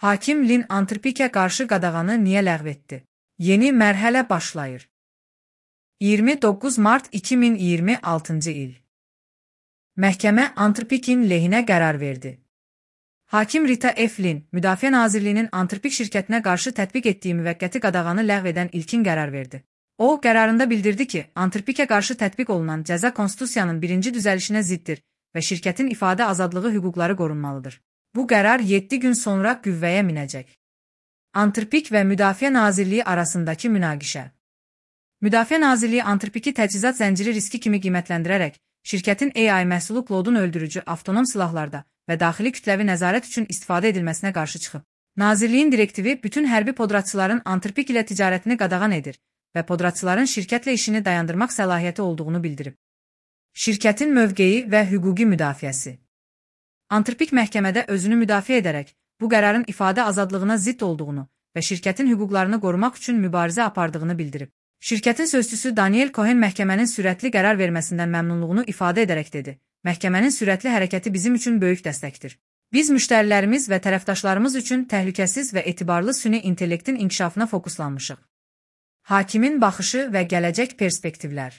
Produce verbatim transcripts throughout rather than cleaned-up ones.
Hakim Lin Antarpikə qarşı qadağanı niyə ləğv etdi? Yeni mərhələ başlayır. iyirmi doqquz mart iki min iyirmi altıncı il. Məhkəmə Antarpikin lehinə qərar verdi. Hakim Rita F. Lin, Müdafiə Nazirliyinin Antarpik şirkətinə qarşı tətbiq etdiyi müvəqqəti qadağanı ləğv edən ilkin qərar verdi. O, qərarında bildirdi ki, Antarpikə qarşı tətbiq olunan cəza Konstitusiyanın birinci düzəlişinə ziddir və şirkətin ifadə azadlığı hüquqları qorunmalıdır. Bu qərar yeddi gün sonra qüvvəyə minəcək. Antarpik və Müdafiə Nazirliyi arasındakı münaqişə. Müdafiə Nazirliyi Antarpiki təchizat zənciri riski kimi qiymətləndirərək, şirkətin A I məhsulu klodun öldürücü avtonom silahlarda və daxili kütləvi nəzarət üçün istifadə edilməsinə qarşı çıxıb. Nazirliyin direktivi bütün hərbi podratçıların Antarpik ilə ticarətini qadağan edir və podratçıların şirkətlə işini dayandırmaq səlahiyyəti olduğunu bildirib. Şirkətin mövqeyi və hüquqi müdafiəsi. Antarpik məhkəmədə özünü müdafiə edərək, bu qərarın ifadə azadlığına zidd olduğunu və şirkətin hüquqlarını qorumaq üçün mübarizə apardığını bildirib. Şirkətin sözçüsü Daniel Cohen məhkəmənin sürətli qərar verməsindən məmnunluğunu ifadə edərək dedi: "Məhkəmənin sürətli hərəkəti bizim üçün böyük dəstəkdir. Biz müştərilərimiz və tərəfdaşlarımız üçün təhlükəsiz və etibarlı süni intellektin inkişafına fokuslanmışıq." Hakimin baxışı və gələcək perspektivlər.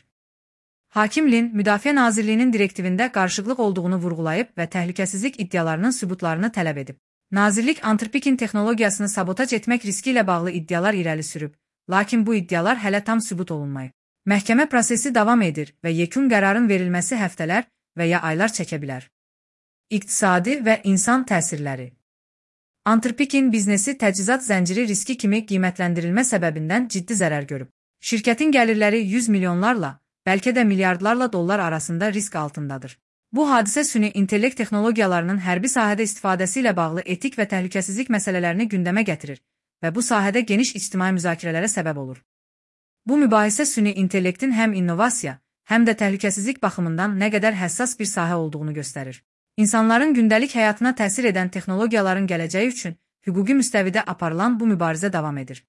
Hakim Lin, Müdafiə Nazirliyinin direktivində qarışıqlıq olduğunu vurğulayıb və təhlükəsizlik iddialarının sübutlarını tələb edib. Nazirlik Antarpikin texnologiyasını sabotaj etmək riski ilə bağlı iddialar irəli sürüb, lakin bu iddialar hələ tam sübut olunmayıb. Məhkəmə prosesi davam edir və yekun qərarın verilməsi həftələr və ya aylar çəkə bilər. İqtisadi və insan təsirləri. Antarpikin biznesi təchizat zənciri riski kimi qiymətləndirilmə səbəbindən ciddi zərər görüb. Şirkətin gəlirləri yüz milyonlarla, bəlkə də milyardlarla dollar arasında risk altındadır. Bu hadisə süni intellekt texnologiyalarının hərbi sahədə istifadəsi ilə bağlı etik və təhlükəsizlik məsələlərini gündəmə gətirir və bu sahədə geniş ictimai müzakirələrə səbəb olur. Bu mübahisə süni intellektin həm innovasiya, həm də təhlükəsizlik baxımından nə qədər həssas bir sahə olduğunu göstərir. İnsanların gündəlik həyatına təsir edən texnologiyaların gələcəyi üçün hüquqi müstəvidə aparılan bu mübarizə davam edir.